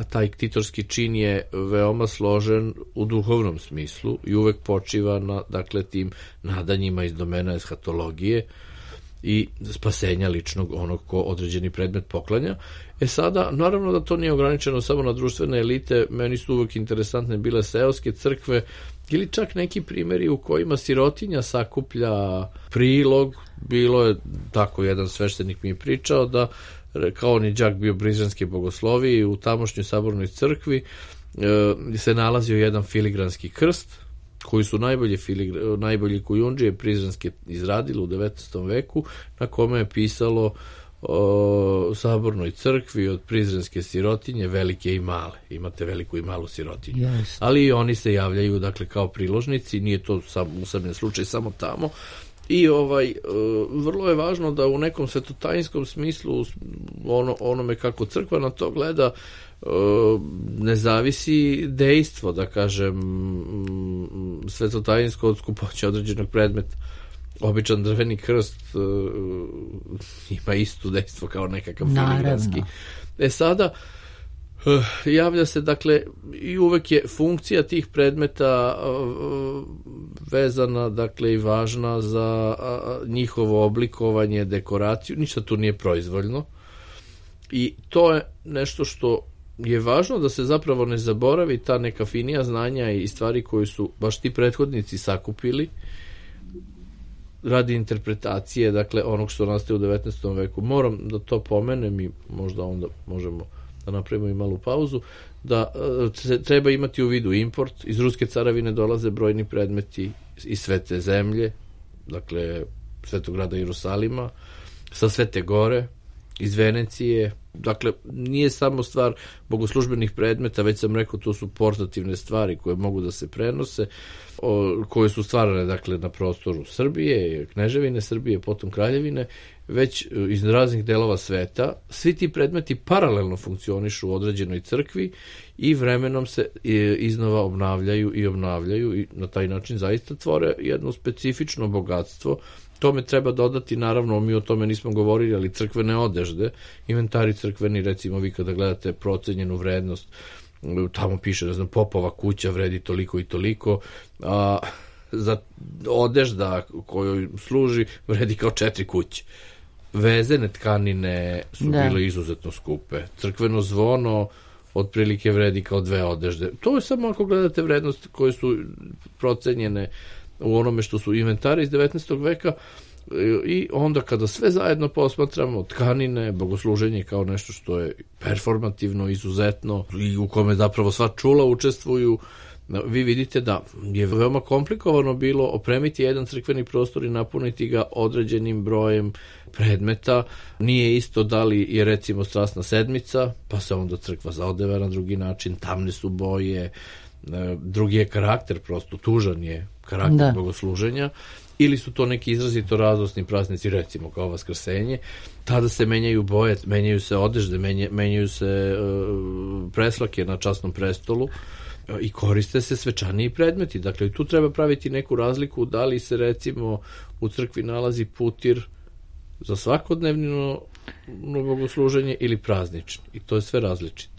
taj ktitorski čin je veoma složen u duhovnom smislu i uvek počiva na, dakle, tim nadanjima iz domena eshatologije i spasenja ličnog onog ko određeni predmet poklanja. Sada, naravno da to nije ograničeno samo na društvene elite, meni su uvek interesantne bile seoske crkve ili čak neki primjeri u kojima sirotinja sakuplja prilog. Bilo je tako, jedan sveštenik mi je pričao da, kao on je đak bio Prizrenske bogoslovije, u tamošnjoj sabornoj crkvi se nalazio jedan filigranski krst koji su najbolji kujundžije Prizrenske izradili u 19. veku, na kome je pisalo sabornoj crkvi od Prizrenske sirotinje, velike i male. Imate veliku i malu sirotinju. Yes. Ali i oni se javljaju, dakle, kao priložnici, nije to usamljen slučaj samo tamo. I vrlo je važno da u nekom svetotajinskom smislu, onome kako crkva na to gleda, ne zavisi dejstvo, da kažem, svetotajinsko od skupoće određenog predmeta. Običan drveni krst ima isto dejstvo kao nekakav filigranski. Sada javlja se, dakle, i uvek je funkcija tih predmeta vezana, dakle, i važna za njihovo oblikovanje, dekoraciju, ništa tu nije proizvoljno i to je nešto što je važno da se zapravo ne zaboravi, ta neka finija znanja i stvari koje su baš ti prethodnici sakupili radi interpretacije, dakle, onog što nastaje u 19. veku. Moram da to pomenem i možda onda možemo da napravimo i malu pauzu, da treba imati u vidu import. Iz Ruske caravine dolaze brojni predmeti iz Svete zemlje, dakle, Svetog grada Jerusalima, sa Svete gore, iz Venecije. Dakle, nije samo stvar bogoslužbenih predmeta, već sam rekao, to su portativne stvari koje mogu da se prenose, koje su stvarane, dakle, na prostoru Srbije, Kneževine Srbije, potom Kraljevine, već iz raznih delova sveta. Svi ti predmeti paralelno funkcionišu u određenoj crkvi i vremenom se iznova obnavljaju i na taj način zaista tvore jedno specifično bogatstvo. Tome treba dodati, naravno, mi o tome nismo govorili, ali crkvene odežde, inventari crkveni, recimo, vi kada gledate procenjenu vrednost, tamo piše, ne znam, popova kuća vredi toliko i toliko, a za odežda kojoj služi vredi kao 4 kuće. Vezene tkanine su bile izuzetno skupe. Crkveno zvono otprilike vredi kao 2 odežde. To je samo ako gledate vrednosti koje su procenjene u onome što su inventari iz 19. veka i onda kada sve zajedno posmatramo, tkanine, bogosluženje kao nešto što je performativno, izuzetno i u kome zapravo sva čula učestvuju, vi vidite da je veoma komplikovano bilo opremiti jedan crkveni prostor i napuniti ga određenim brojem predmeta. Nije isto da li je recimo Strasna sedmica, pa se onda crkva zaodeva na drugi način, tamne su boje, drugi je karakter, prosto tužan je karakter bogosluženja, ili su to neki izrazito radosni praznici, recimo kao Vaskrsenje, tada se menjaju boje, menjaju se odežde, menjaju se preslake na časnom prestolu i koriste se svečaniji predmeti. Dakle, tu treba praviti neku razliku da li se recimo u crkvi nalazi putir za svakodnevno bogosluženje ili praznični. I to je sve različito.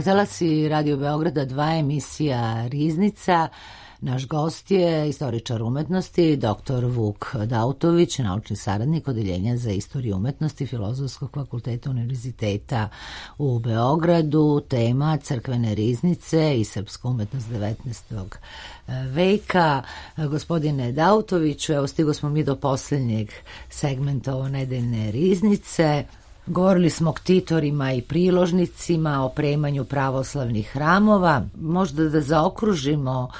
Talasi Radio Beograda 2, emisija Riznica. Naš gost je istoričar umetnosti, dr. Vuk Dautović, naučni saradnik Odeljenja za istoriju umetnosti Filozofskog fakulteta Univerziteta u Beogradu. Tema crkvene riznice i srpska umetnost 19. veka. Gospodine Dautoviću, evo stigo smo mi do posljednjeg segmenta ovo nedeljne riznice. Govorili smo o ktitorima i priložnicima, o opremanju pravoslavnih hramova. Možda da zaokružimo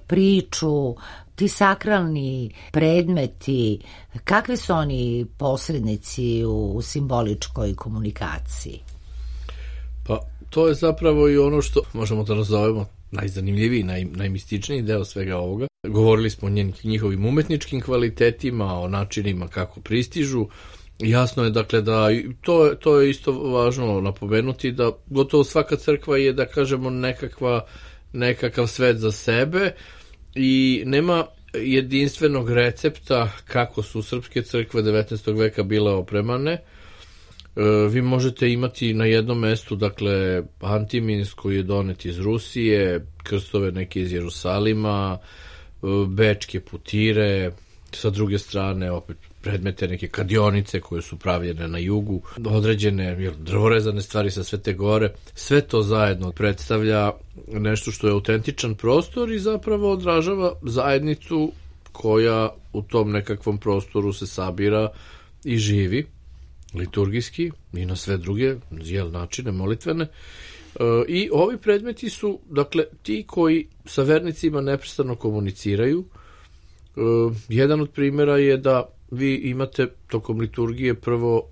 priču, ti sakralni predmeti, kakvi su oni posrednici u simboličkoj komunikaciji? Pa to je zapravo i ono što možemo da nazovemo najzanimljiviji, najmističniji deo svega ovoga. Govorili smo o njihovim umetničkim kvalitetima, o načinima kako pristižu. Jasno je dakle da to je isto važno napomenuti da gotovo svaka crkva je, da kažemo, nekakav svet za sebe i nema jedinstvenog recepta kako su srpske crkve 19. veka bile opremane. Vi možete imati na jednom mestu, dakle, Antimins koji je donet iz Rusije, krstove neke iz Jerusalima, bečke putire, sa druge strane opet predmete neke kadionice koje su pravljene na jugu, određene drvorezane stvari sa Svete Gore. Sve to zajedno predstavlja nešto što je autentičan prostor i zapravo odražava zajednicu koja u tom nekakvom prostoru se sabira i živi liturgijski i na sve druge načine molitvene. I ovi predmeti su, dakle, ti koji sa vernicima neprestano komuniciraju. Jedan od primjera je da vi imate tokom liturgije prvo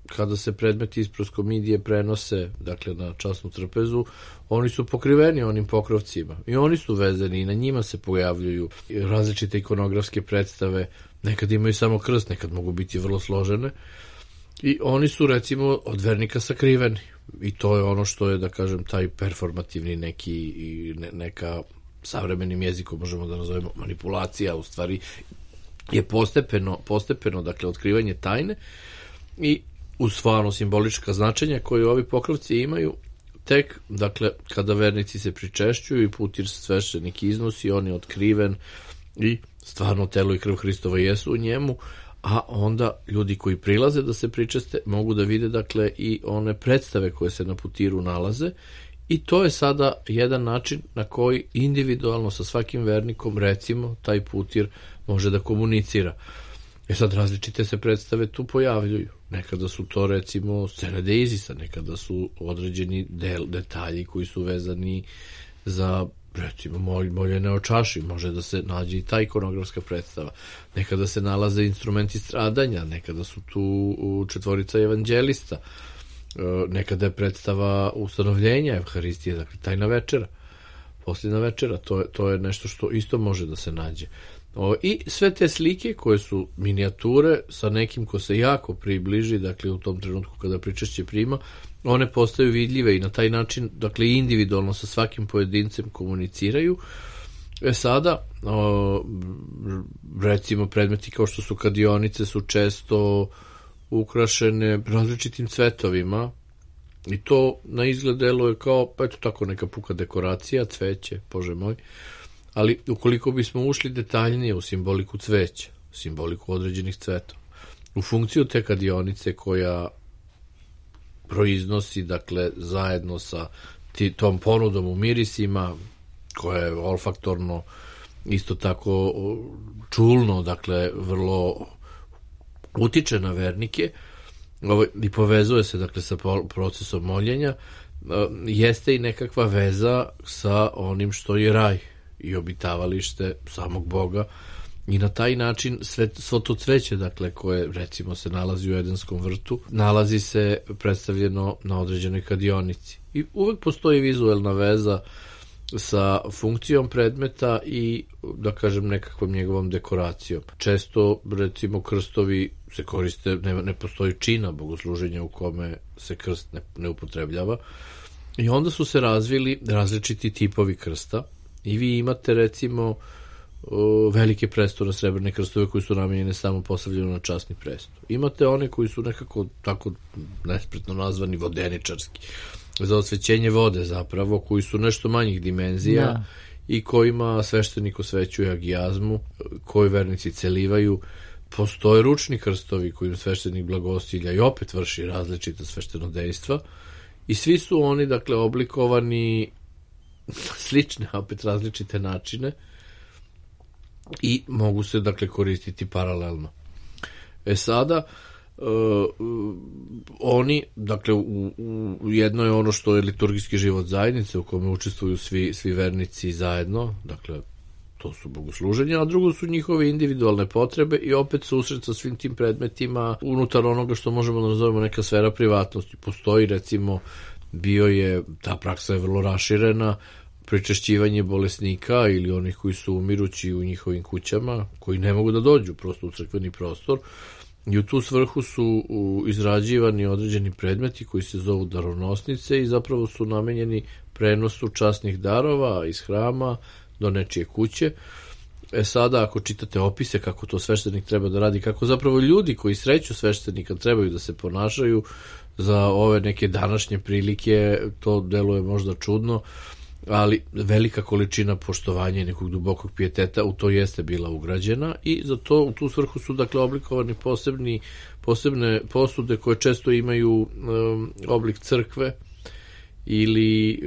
kada se predmeti iz proskomidije prenose, dakle, na časnu trpezu, oni su pokriveni onim pokrovcima i oni su vezani i na njima se pojavljuju različite ikonografske predstave, nekad imaju samo krst, nekad mogu biti vrlo složene i oni su recimo od vernika sakriveni i to je ono što je, da kažem, taj performativni neka savremenim jezikom možemo da nazovemo manipulacija, u stvari je postepeno, dakle, otkrivanje tajne i uz stvarno simbolička značenja koje ovi pokrovci imaju, tek, dakle, kada vernici se pričešćuju i putir sveštenik iznosi, on je otkriven i stvarno telo i krv Hristova jesu u njemu, a onda ljudi koji prilaze da se pričeste mogu da vide, dakle, i one predstave koje se na putiru nalaze. I to je sada jedan način na koji individualno sa svakim vernikom, recimo, taj putir može da komunicira. Sad različite se predstave tu pojavljuju. Nekada su to recimo scene Deizisa, nekada su određeni detalji koji su vezani za recimo moljene o čaši, može da se nađe i ta ikonografska predstava. Nekada se nalaze instrumenti stradanja, nekada su tu četvorica evanđelista, nekada je predstava ustanovljenja Evharistije, dakle tajna večera, posljedna večera, to je nešto što isto može da se nađe. I sve te slike koje su minijature sa nekim ko se jako približi, dakle u tom trenutku kada pričešće prima, one postaju vidljive i na taj način, dakle individualno sa svakim pojedincem komuniciraju. Sada recimo predmeti kao što su kadionice su često ukrašene različitim cvetovima i to na izgled deluje kao eto tako neka puka dekoracija, cveće, bože moj. Ali ukoliko bismo ušli detaljnije u simboliku cveća, simboliku određenih cvetova, u funkciju te kadionice koja proiznosi, dakle, zajedno sa tom ponudom u mirisima, koja je olfaktorno isto tako čulno, dakle, vrlo utiče na vernike i povezuje se, dakle, sa procesom moljenja, jeste i nekakva veza sa onim što je raj i obitavalište samog Boga i na taj način svo to cveće, dakle, koje recimo se nalazi u Edenskom vrtu, nalazi se predstavljeno na određenoj kadionici. I uvek postoji vizuelna veza sa funkcijom predmeta i, da kažem, nekakvom njegovom dekoracijom. Često, recimo, krstovi se koriste, ne postoji čina bogosluženja u kome se krst ne upotrebljava i onda su se razvili različiti tipovi krsta. I vi imate recimo velike prestore, srebrne krstove koji su namijenjene samo postavljeno na časni presto. Imate one koji su nekako tako nespretno nazvani vodeničarski, za osvećenje vode zapravo, koji su nešto manjih dimenzija i kojima sveštenik osvećuje agijazmu, koji vernici celivaju. Postoje ručni krstovi kojim sveštenik blagosilja i opet vrši različita sveštenodejstva i svi su oni, dakle, oblikovani slične, opet različite načine i mogu se, dakle, koristiti paralelno. Sada oni, dakle, u jedno je ono što je liturgijski život zajednice u kome učestvuju svi vernici zajedno, dakle to su bogosluženja, a drugo su njihove individualne potrebe i opet susret sa svim tim predmetima unutar onoga što možemo da nazovemo neka sfera privatnosti. Postoji, recimo, ta praksa je vrlo raširena, pričešćivanje bolesnika ili onih koji su umirući u njihovim kućama, koji ne mogu da dođu prosto u crkveni prostor, i u tu svrhu su izrađivani određeni predmeti koji se zovu daronosnice i zapravo su namenjeni prenosu časnih darova iz hrama do nečije kuće. Sada, ako čitate opise kako to sveštenik treba da radi, kako zapravo ljudi koji sreću sveštenika trebaju da se ponašaju za ove neke današnje prilike, to deluje možda čudno, ali velika količina poštovanja i nekog dubokog pijeteta u to jeste bila ugrađena i za to u tu svrhu su, dakle, oblikovani posebne posude koje često imaju oblik crkve ili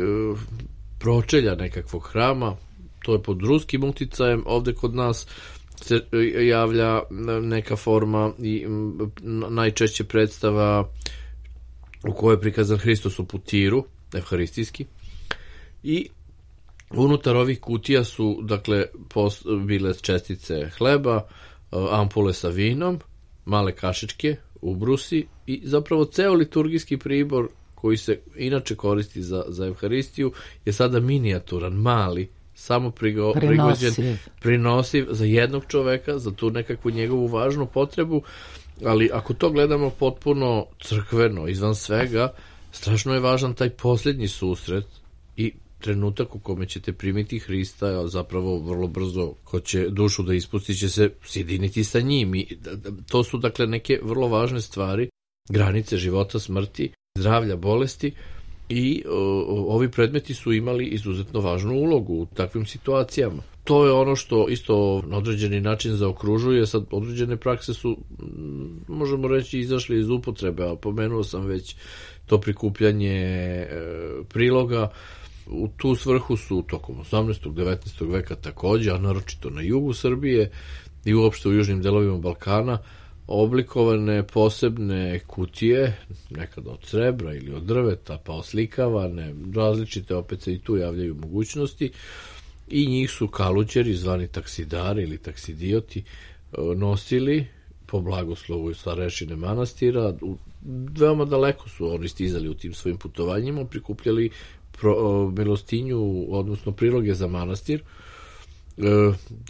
pročelja nekakvog hrama. To je pod ruskim uticajem. Ovde kod nas se javlja neka forma i najčešće predstava u kojoj je prikazan Hristos u putiru, evharistijski, i unutar ovih kutija su, dakle, bile čestice hleba, ampule sa vinom, male kašičke, ubrusi i zapravo ceo liturgijski pribor koji se inače koristi za Evharistiju je sada minijaturan, mali, samo prigođen, prinosiv za jednog čoveka, za tu nekakvu njegovu važnu potrebu, ali ako to gledamo potpuno crkveno, izvan svega, strašno je važan taj posljednji susret i trenutak u kome ćete primiti Hrista, a zapravo vrlo brzo ko će dušu da ispusti će se sjediniti sa njim. I to su, dakle, neke vrlo važne stvari, granice života, smrti, zdravlja, bolesti, i ovi predmeti su imali izuzetno važnu ulogu u takvim situacijama. To je ono što isto na određeni način zaokružuje. Sad, određene prakse su, možemo reći, izašle iz upotrebe, a pomenuo sam već to prikupljanje priloga. U tu svrhu su tokom 18. 19. veka takođe, a naročito na jugu Srbije i uopšte u južnim delovima Balkana, oblikovane posebne kutije, nekada od srebra ili od drveta, pa oslikavane, različite, opet se i tu javljaju mogućnosti, i njih su kaluđeri, zvani taksidari ili taksidioti, nosili po blagoslovu starešine manastira. Veoma daleko su oni stizali u tim svojim putovanjima, prikupljali milostinju, odnosno priloge za manastir.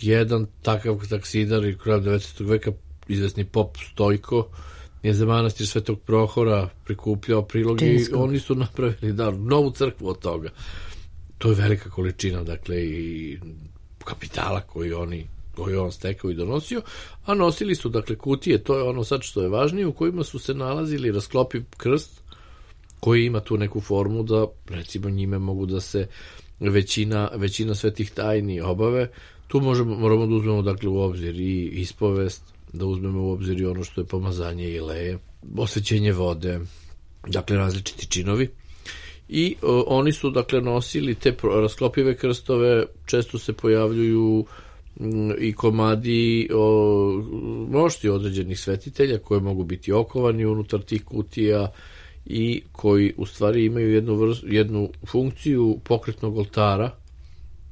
Jedan takav taksidar i krajem 19. veka, izvesni pop Stojko, je za manastir Svetog Prohora prikupljao priloge i oni su napravili novu crkvu od toga. To je velika količina, dakle, i kapitala koji je on stekao i donosio, a nosili su, dakle, kutije, to je ono sad što je važnije, u kojima su se nalazili rasklopi krst, koji ima tu neku formu da, recimo, njime mogu da se većina svetih tajni obave. Tu moramo da uzmemo, dakle, u obzir i ispovest, da uzmemo u obzir i ono što je pomazanje ileje, osvećenje vode, dakle, različiti činovi. I oni su, dakle, nosili te rasklopive krstove, često se pojavljuju i komadi mošti određenih svetitelja koje mogu biti okovani unutar tih kutija i koji u stvari imaju jednu funkciju pokretnog oltara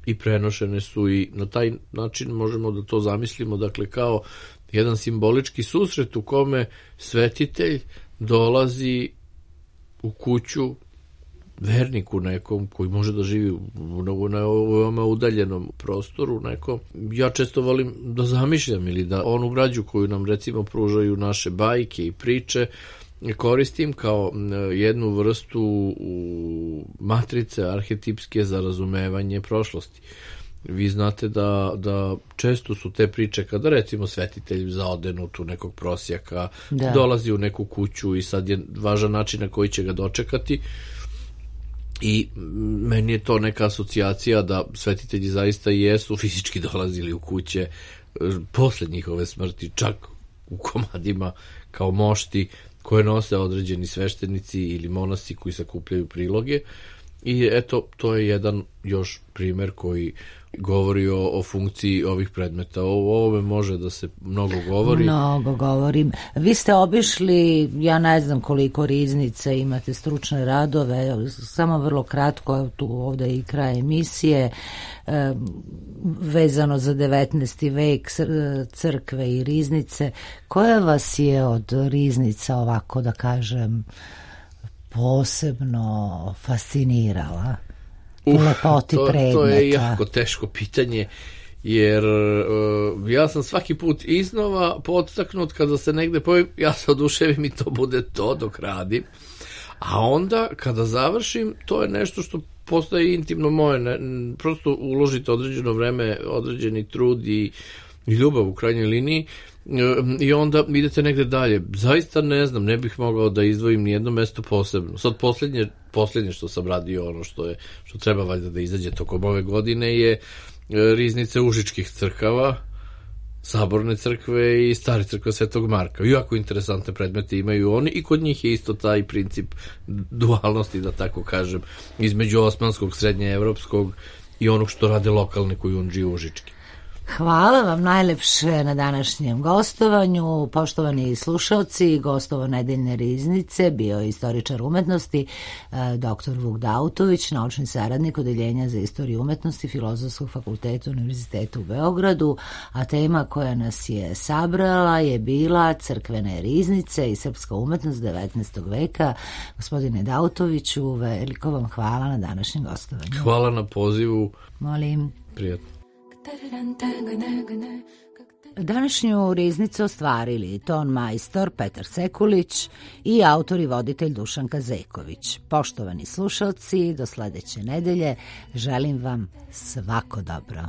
i prenošene su, i na taj način možemo da to zamislimo, dakle, kao jedan simbolički susret u kome svetitelj dolazi u kuću verniku nekom koji može da živi na ovome udaljenom prostoru nekom. Ja često volim da zamišljam ili da onu građu koju nam, recimo, pružaju naše bajke i priče koristim kao jednu vrstu matrice arhetipske za razumevanje prošlosti. Vi znate da često su te priče kada, recimo, svetitelj zaode u tu nekog prosjaka, dolazi u neku kuću i sad je važan način na koji će ga dočekati. I meni je to neka asocijacija da svetitelji zaista jesu fizički dolazili u kuće posle njihove smrti, čak u komadima kao mošti koje nose određeni sveštenici ili monasi koji sakupljaju priloge. I eto, to je jedan još primer koji govori o funkciji ovih predmeta. O ovome može da se mnogo govori. Mnogo govorim. Vi ste obišli, ja ne znam koliko riznica, imate stručne radove, samo vrlo kratko, tu ovde i kraj emisije, vezano za 19. vek, crkve i riznice. Koja vas je od riznica, ovako da kažem, posebno fascinirala? To je jako teško pitanje, jer ja sam svaki put iznova podstaknut kada se negde pojavim, ja se oduševim i to bude to dok radim, a onda kada završim, to je nešto što postaje intimno moje, prosto uložite određeno vreme, određeni trud i ljubav u krajnjoj liniji, i onda idete negde dalje. Zaista ne znam, ne bih mogao da izdvojim nijedno mesto posebno. Sad poslednje što sam radio, ono što treba valjda da izađe tokom ove godine, je riznice užičkih crkava, Saborne crkve i Stare crkve Svetog Marka. Jako interesantne predmete imaju oni i kod njih je isto taj princip dualnosti, da tako kažem, između osmanskog, srednjeevropskog i onog što rade lokalne kujundžije užički. Hvala vam najlepše na današnjem gostovanju. Poštovani slušalci, gostovo nedeljne riznice bio je istoričar umetnosti dr. Vuk Dautović, naučni saradnik Odeljenja za istoriju umetnosti Filozofskog fakulteta Univerziteta u Beogradu, a tema koja nas je sabrala je bila crkvene riznice i srpska umetnost 19. veka. Gospodine Dautoviću, veliko vam hvala na današnjem gostovanju. Hvala na pozivu. Molim. Prijatno. Današnju riznicu ostvarili ton majstor Petar Sekulić i autor i voditelj Dušan Kazeković. Poštovani slušalci, do sledeće nedelje želim vam svako dobro.